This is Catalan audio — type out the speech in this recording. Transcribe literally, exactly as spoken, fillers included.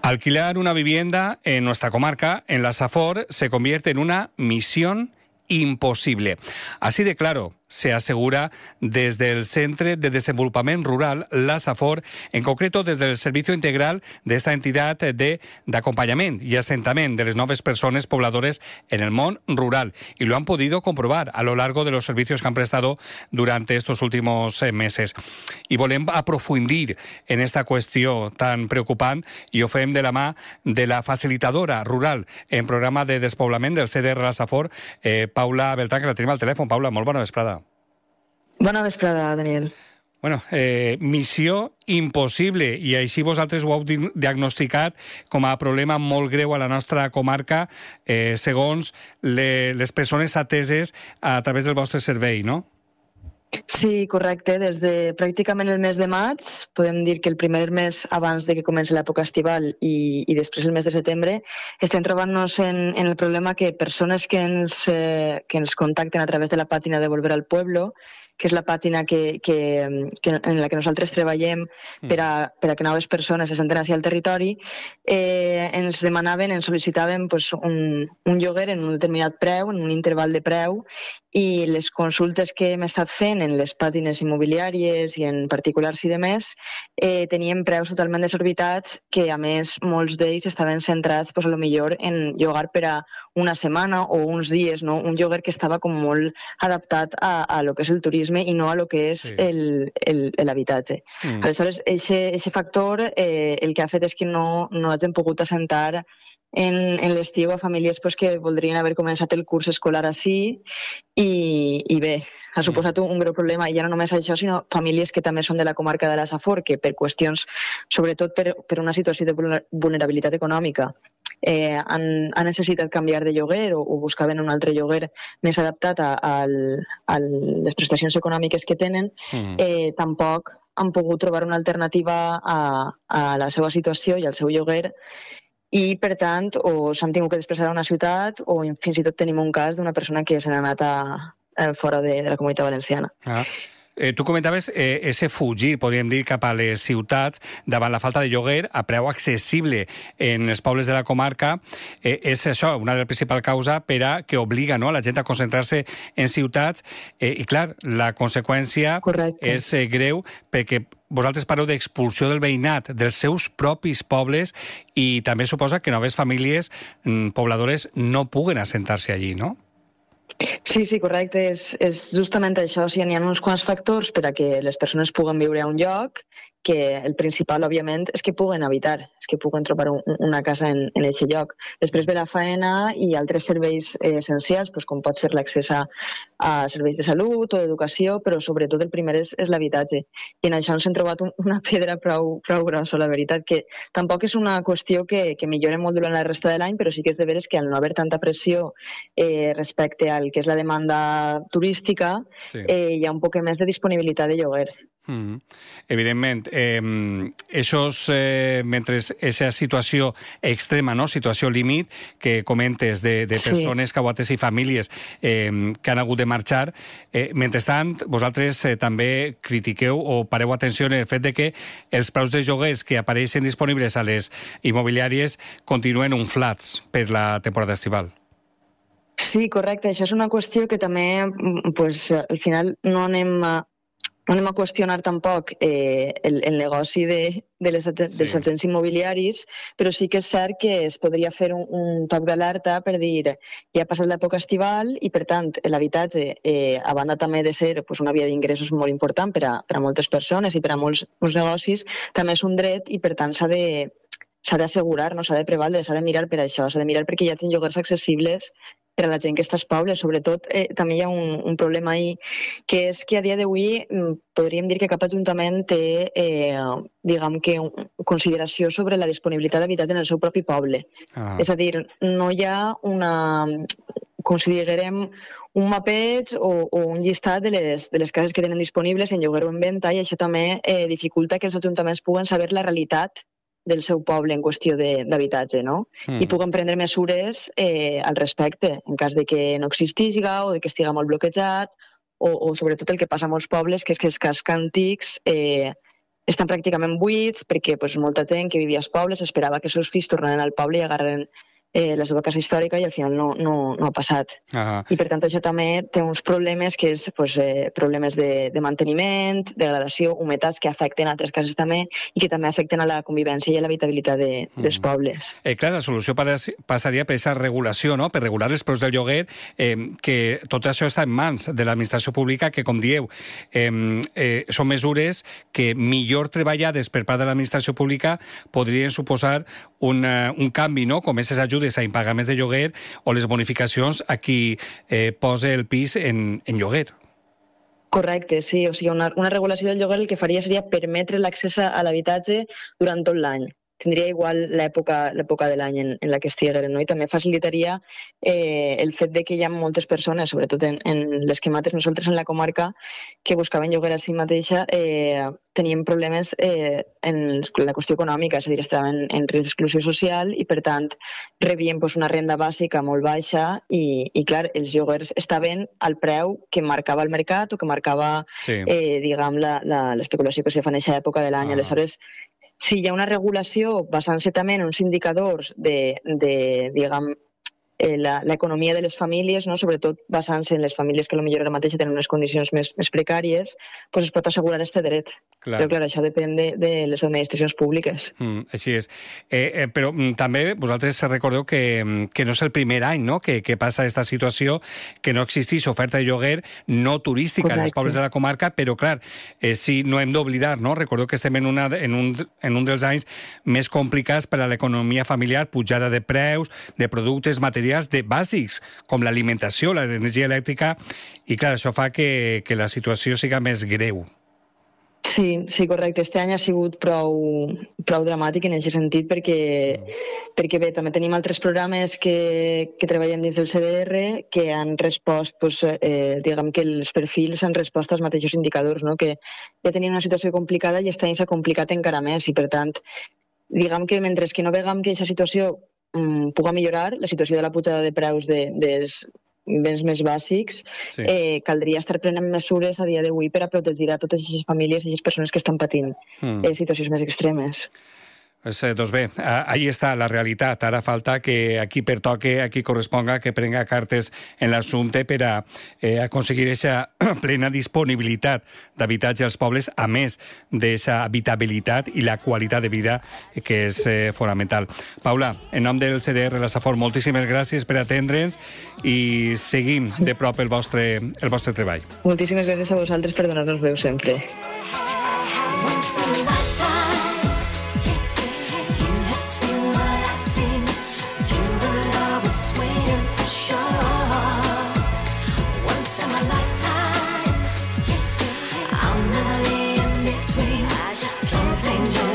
Alquilar una vivienda en nuestra comarca, en la Safor, se convierte en una misión imposible. Así de claro se asegura desde el Centre de Desenvolupament Rural, la Safor, en concreto desde el servicio integral de esta entidad de d'acompanyament y asentament de les noves persones pobladores en el món rural. Y lo han podido comprobar a lo largo de los servicios que han prestado durante estos últimos eh, meses. I volem aprofundir en esta qüestió tan preocupant i ho fem de la mà de la facilitadora rural en programa de despoblament del C D R La Safor, eh, Paula Beltrán, que la tenim al telèfon. Paula, molt bona vesprada. Bona vesprada, Daniel. Bueno, eh, missió impossible, i així vosaltres ho heu diagnosticat com a problema molt greu a la nostra comarca, eh, segons le, les persones ateses a través del vostre servei, no? Sí, correcte. Des de pràcticament el mes de maig, podem dir que el primer mes abans de que comenci l'època estival i, i després el mes de setembre, estem trobant-nos en, en el problema que persones que ens, eh, que ens contacten a través de la pàgina de Volver al Pueblo, que és la pàgina que, que, que en la que nosaltres treballem per a, per a que noves persones se senten així al territori, eh, ens demanaven, ens sol·licitaven pues, un, un lloguer en un determinat preu, en un interval de preu, i les consultes que hem estat fent en les pàgines immobiliàries i en particulars i demés eh, tenien preus totalment desorbitats que, a més, molts d'ells estaven centrats pues, a lo millor en llogar per a una setmana o uns dies, no? Un lloguer que estava com molt adaptat a, a lo que és el turisme i no a lo que és sí. l'habitatge. Mm. Aleshores, aquest factor eh, el que ha fet és que no, no hagin pogut assentar en, en l'estiu a famílies pues, que voldrien haver començat el curs escolar així i, i bé, ha suposat un, un greu problema, i ja no només això, sinó famílies que també són de la comarca de la Safor, que per qüestions, sobretot per, per una situació de vulnerabilitat econòmica, eh, han, han necessitat canviar de lloguer o, o buscaven un altre lloguer més adaptat a, a, a les prestacions econòmiques que tenen, mm. eh, tampoc han pogut trobar una alternativa a, a la seva situació i al seu lloguer, i, per tant, o s'han tingut que desplaçar a una ciutat o fins i tot tenim un cas d'una persona que se n'ha anat a, a fora de, de la Comunitat Valenciana. Ah. Eh, tu comentaves eh, ese fugir, podríem dir, cap a les ciutats davant la falta de lloguer a preu accessible en els pobles de la comarca. Eh, és això, una de les principals causes per a que obliga, no?, a la gent a concentrar-se en ciutats. Eh, I, clar, la conseqüència Correcte. és eh, greu perquè vosaltres parleu d'expulsió del veïnat dels seus propis pobles i també suposa que noves famílies mm, pobladores no puguen assentar-se allí, no? Sí, sí, correcte. És, és justament això. O sigui, hi ha uns quants factors per a que les persones puguen viure a un lloc, que el principal, òbviament, és que puguen habitar, és que puguen trobar un, una casa en, en aquest lloc. Després ve la faena i altres serveis eh, essencials, doncs, com pot ser l'accés a, a serveis de salut o d'educació, però sobretot el primer és, és l'habitatge. I en això ens hem trobat un, una pedra prou, prou grossa, la veritat, que tampoc és una qüestió que, que millora molt durant la resta de l'any, però sí que és de veres que al no haver tanta pressió eh, respecte al que és la demanda turística, sí. eh, hi ha un poc més de disponibilitat de lloguer. Mm. Evidentment, eh, esos, eh, mentre aquesta situació extrema, no? Situació límit que comentes de, de persones, sí. caguates i famílies eh, que han hagut de marxar, eh, mentrestant, vosaltres eh, també critiqueu o pareu atenció en el fet de que els preus de lloguers que apareixen disponibles a les immobiliàries continuen inflats per la temporada estival. Sí, correcte. Això és una qüestió que també, pues, al final no anem a No anem a qüestionar tampoc eh, el, el negoci de, de les, dels sí. agents immobiliaris, però sí que és cert que es podria fer un, un toc d'alerta per dir ja ha passat l'època estival i, per tant, l'habitatge, eh, a banda també de ser pues, una via d'ingressos molt important per a, per a moltes persones i per a molts, molts negocis, també és un dret i, per tant, s'ha de s'ha d'assegurar, no s'ha de prevaldre, s'ha de mirar per això, s'ha de mirar perquè hi hagi lloguers accessibles per a la gent que està als pobles. Sobretot, eh, també hi ha un, un problema ahí, que és que a dia d'avui podríem dir que cap ajuntament té, eh, diguem que, consideració sobre la disponibilitat d'habitatge en el seu propi poble. Ah. És a dir, no hi ha una, considerem un mapeig o, o un llistat de les, de les cases que tenen disponibles en lloguer o en venda, i això també eh, dificulta que els ajuntaments puguen saber la realitat del seu poble en qüestió d'habitatge, no? Mm. I puguen prendre mesures eh, al respecte, en cas de que no existisca o de que estigui molt bloquejat, o, o sobretot el que passa a molts pobles, que és que els cascs antics eh, estan pràcticament buits perquè pues, molta gent que vivia als pobles esperava que els seus fills tornaran al poble i agarren eh, la seva casa històrica i al final no, no, no ha passat. Uh-huh. I per tant això també té uns problemes que és pues, eh, problemes de, de manteniment, degradació, humitats que afecten altres cases també i que també afecten a la convivència i a l'habitabilitat de, uh-huh. dels pobles. Eh, clar, la solució passaria per aquesta regulació, no? Per regular els preus del lloguer, eh, que tot això està en mans de l'administració pública, que com dieu, eh, eh, són mesures que millor treballades per part de l'administració pública podrien suposar un, uh, un canvi, no? Com aquestes ajudes a impagaments de lloguer o les bonificacions a qui eh, posa el pis en, en lloguer. Correcte, sí. O sigui, una, una regulació del lloguer el que faria seria permetre l'accés a l'habitatge durant tot l'any. Tindria igual l'època l'època de l'any en, en la que estigueren, no? I també facilitaria eh, el fet de que hi ha moltes persones, sobretot en, en les que mates nosaltres en la comarca, que buscaven lloguer a si mateixa, eh, tenien problemes eh, en la qüestió econòmica, és a dir, estaven en, en risc d'exclusió social i, per tant, rebien pues, una renda bàsica molt baixa i, i, clar, els lloguers estaven al preu que marcava el mercat o que marcava, sí. eh, diguem, l'especulació que se fa en aquesta època de l'any. Ah. Aleshores, si hi ha una regulació basant-se també en uns indicadors de, de diguem, eh, l'economia de les famílies, no? Sobretot basant-se en les famílies que potser ara mateix tenen unes condicions més, més precàries, pues es pot assegurar aquest dret. Clar. Però clar, això depèn de, de les administracions públiques. Mm, així és. Eh, eh, però mm, també vosaltres recordeu que, que no és el primer any, no?, que, que passa aquesta situació, que no existeix oferta de lloguer no turística en els pobles de la comarca, però clar, eh, sí, no hem d'oblidar, no? Recordeu que estem en, una, en, un, en un dels anys més complicats per a l'economia familiar, pujada de preus, de productes, materials de bàsics, com l'alimentació, l'energia elèctrica, i clar, això fa que, que la situació siga més greu. Sí, sí, correcte. Este any ha sigut prou, prou dramàtic en aquest sentit perquè, perquè bé, també tenim altres programes que, que treballem dins del C D R que han respost, pues, eh, diguem que els perfils han respost als mateixos indicadors, no? Que ja tenim una situació complicada i aquest any s'ha complicat encara més i, per tant, diguem que mentre que no vegam que aquesta situació um, puga millorar, la situació de la pujada de preus de, dels béns més bàsics, sí. eh, caldria estar prenent mesures a dia d'avui per a protegir a totes aquestes famílies i aquestes persones que estan patint mm. eh, situacions més extremes. Pues, eh, doncs bé, ahí està la realitat. Ara falta que aquí pertoque, aquí corresponga, que prenga cartes en l'assumpte per a eh, aconseguir aquesta plena disponibilitat d'habitatge als pobles, a més d'aquesta habitabilitat i la qualitat de vida que és eh, fonamental. Paula, en nom del C D R La Safor, moltíssimes gràcies per atendre'ns i seguim de prop el vostre, el vostre treball. Moltíssimes gràcies a vosaltres per donar-nos veu sempre. Waiting for sure. Once in my lifetime, I'll never be in between. I just can't change.